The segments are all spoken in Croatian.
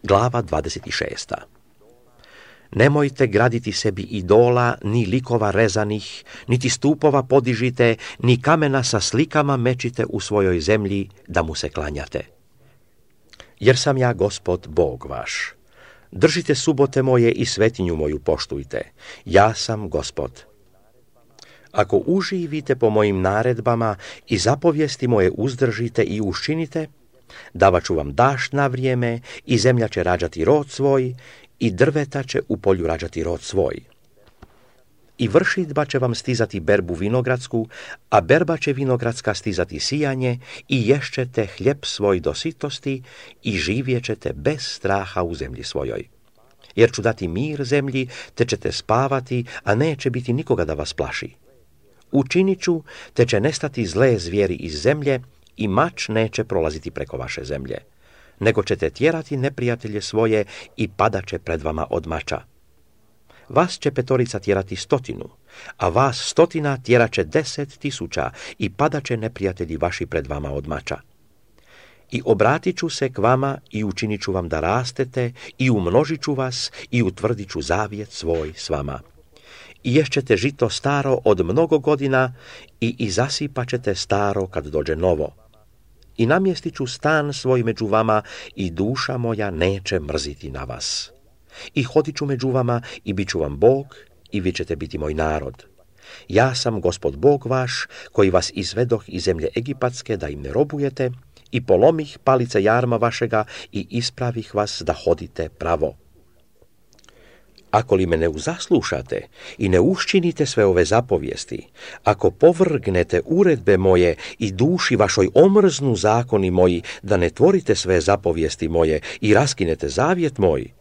Glava 26. Nemojte graditi sebi idola, ni likova rezanih, niti stupova podižite, ni kamena sa slikama mečite u svojoj zemlji da mu se klanjate. Jer sam ja Gospod Bog vaš. Držite subote moje i svetinju moju poštujte. Ja sam Gospod. Ako uživite po mojim naredbama i zapovijesti moje uzdržite i učinite, davat ću vam dašt na vrijeme i zemlja će rađati rod svoj i drveta će u polju rađati rod svoj. I vršidba će vam stizati berbu vinogradsku, a berba će vinogradska stizati sijanje i ješćete hljeb svoj do sitosti i živjećete bez straha u zemlji svojoj. Jer ću dati mir zemlji, te ćete spavati, a neće biti nikoga da vas plaši. Učinit ću, te će nestati zle zvijeri iz zemlje i mač neće prolaziti preko vaše zemlje, nego ćete tjerati neprijatelje svoje i padat će pred vama od mača. Vas će 5 tjerati 100, a vas 100 tjerat će 10.000 i padat će neprijatelji vaši pred vama od mača. I obratit ću se k vama i učinit ću vam da rastete i umnožit ću vas i utvrdit ću zavjet svoj s vama. I ješćete žito staro od mnogo godina i zasipat ćete staro kad dođe novo. I namjestit ću stan svoj među vama i duša moja neće mrziti na vas. I hodit ću među vama i bit ću vam Bog i vi ćete biti moj narod. Ja sam Gospod Bog vaš koji vas izvedoh iz zemlje Egipatske da im ne robujete i polomih palice jarma vašega i ispravih vas da hodite pravo. Ako li me ne uzaslušate i ne uščinite sve ove zapovijesti, ako povrgnete uredbe moje i duši vašoj omrznu zakoni moji, da ne tvorite sve zapovijesti moje i raskinete zavjet moj,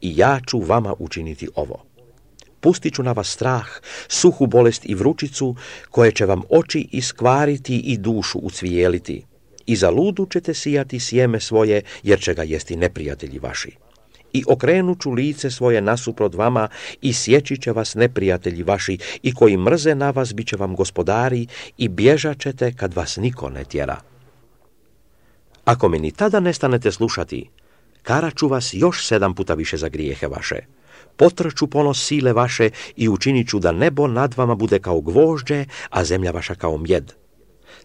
i ja ću vama učiniti ovo. Pustit ću na vas strah, suhu bolest i vrućicu, koje će vam oči iskvariti i dušu ucvijeliti. I za ludu ćete sijati sjeme svoje, jer će ga jesti neprijatelji vaši. I okrenut ću lice svoje nasuprot vama i sjeći će vas neprijatelji vaši i koji mrze na vas bit će vam gospodari i bježat ćete kad vas niko ne tjera. Ako me ni tada nestanete slušati, karat ću vas još 7 puta više za grijehe vaše. Potrću ponos sile vaše i učinit ću da nebo nad vama bude kao gvožđe, a zemlja vaša kao mjed.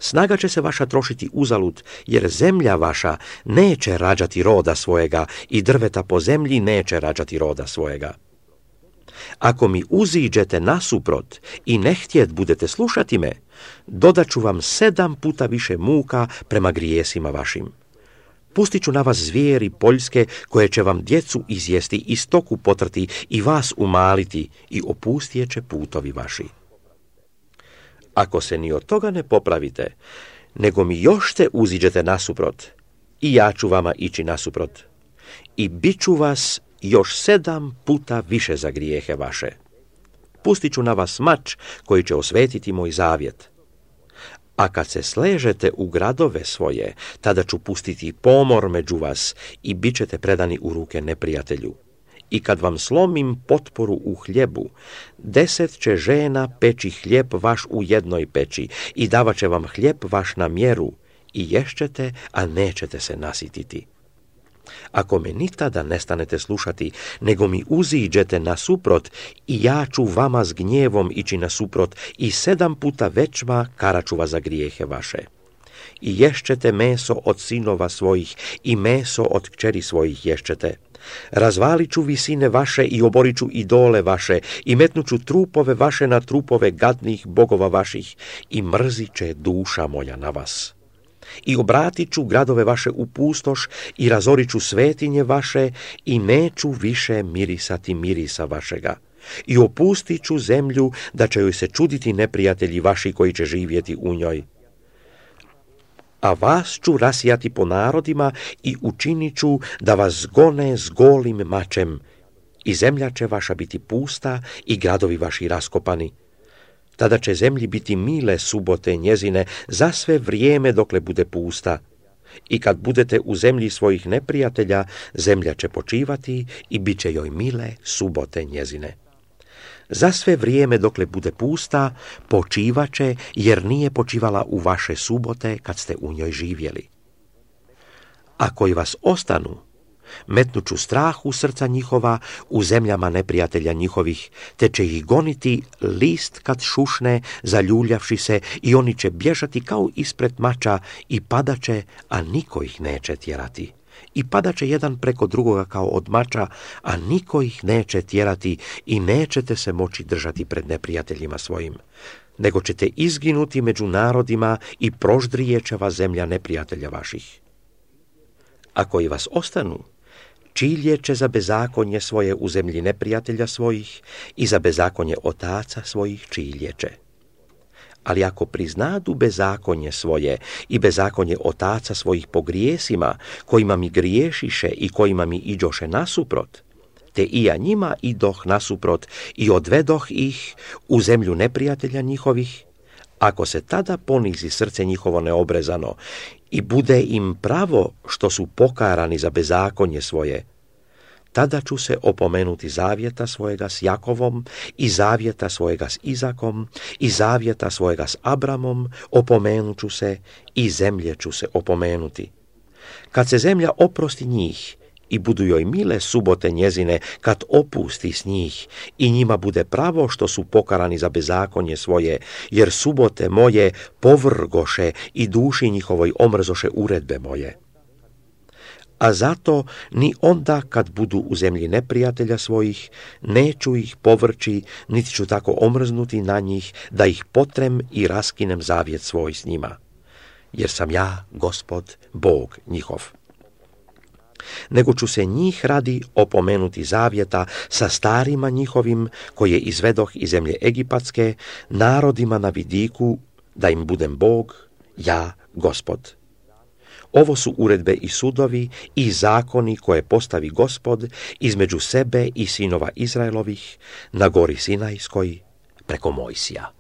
Snaga će se vaša trošiti uzalud, jer zemlja vaša neće rađati roda svojega i drveta po zemlji neće rađati roda svojega. Ako mi uziđete nasuprot i ne htjet budete slušati me, dodat ću vam 7 puta više muka prema grijesima vašim. Pustit ću na vas zvijeri poljske koje će vam djecu izjesti i stoku potrti i vas umaliti i opustijet će putovi vaši. Ako se ni od toga ne popravite, nego mi još te uziđete nasuprot, i ja ću vama ići nasuprot, i bit ću vas još 7 puta više za grijehe vaše. Pustit ću na vas mač koji će osvetiti moj zavjet. A kad se sležete u gradove svoje, tada ću pustiti pomor među vas i bit ćete predani u ruke neprijatelju. I kad vam slomim potporu u hljebu, 10 će žena peći hljeb vaš u jednoj peći i davat će vam hljeb vaš na mjeru i ješćete, a nećete se nasititi. Ako me ni tada nestanete slušati, nego mi uziđete nasuprot i ja ću vama s gnjevom ići nasuprot i 7 puta većma karat ću vas za grijehe vaše. I ješćete meso od sinova svojih i meso od kćeri svojih ješćete. Razvalit ću visine vaše i oborit ću idole vaše i metnut ću trupove vaše na trupove gadnih bogova vaših i mrzit će duša moja na vas. I obratit ću gradove vaše u pustoš i razorit ću svetinje vaše i neću više mirisati mirisa vašega. I opustit ću zemlju da će joj se čuditi neprijatelji vaši koji će živjeti u njoj. A vas ću rasijati po narodima i učinit ću da vas gone s golim mačem i zemlja će vaša biti pusta i gradovi vaši raskopani. Tada će zemlji biti mile subote njezine za sve vrijeme dokle bude pusta. I kad budete u zemlji svojih neprijatelja, zemlja će počivati i bit će joj mile subote njezine. Za sve vrijeme dokle bude pusta, počivaće, jer nije počivala u vaše subote kad ste u njoj živjeli. A koji vas ostanu, Metnuću strah u srca njihova u zemljama neprijatelja njihovih, te će ih goniti list kad šušne, zaljuljavši se, i oni će bježati kao ispred mača i padaće, a niko ih neće tjerati. I padaće jedan preko drugoga kao od mača, a niko ih neće tjerati i nećete se moći držati pred neprijateljima svojim, nego ćete izginuti među narodima i proždrijeće vas zemlja neprijatelja vaših. Ako i vas ostanu, čiljeće za bezakonje svoje u zemlji neprijatelja svojih i za bezakonje otaca svojih čiljeće. Ali ako priznadu bezakonje svoje i bezakonje otaca svojih po grijesima, kojima mi griješiše i kojima mi iđoše nasuprot, te i ja njima idoh nasuprot i odvedoh ih u zemlju neprijatelja njihovih, ako se tada ponizi srce njihovo neobrezano i bude im pravo što su pokarani za bezakonje svoje, tada ću se opomenuti zavjeta svojega s Jakovom i zavjeta svojega s Izakom i zavjeta svojega s Abramom, opomenut ću se i zemlje ću se opomenuti. Kad se zemlja oprosti njih i budu joj mile subote njezine, kad opusti s njih i njima bude pravo što su pokarani za bezakonje svoje, jer subote moje povrgoše i duši njihovoj omrzoše uredbe moje. A zato ni onda kad budu u zemlji neprijatelja svojih, neću ih povrći, niti ću tako omrznuti na njih, da ih potrem i raskinem zavjet svoj s njima. Jer sam ja, Gospod, Bog njihov. Nego ću se njih radi opomenuti zavjeta sa starima njihovim, koje izvedoh iz zemlje Egipatske, narodima na vidiku, da im budem Bog, ja, Gospod. Ovo su uredbe i sudovi i zakoni koje postavi Gospod između sebe i sinova Izraelovih na gori Sinajskoj preko Mojsija.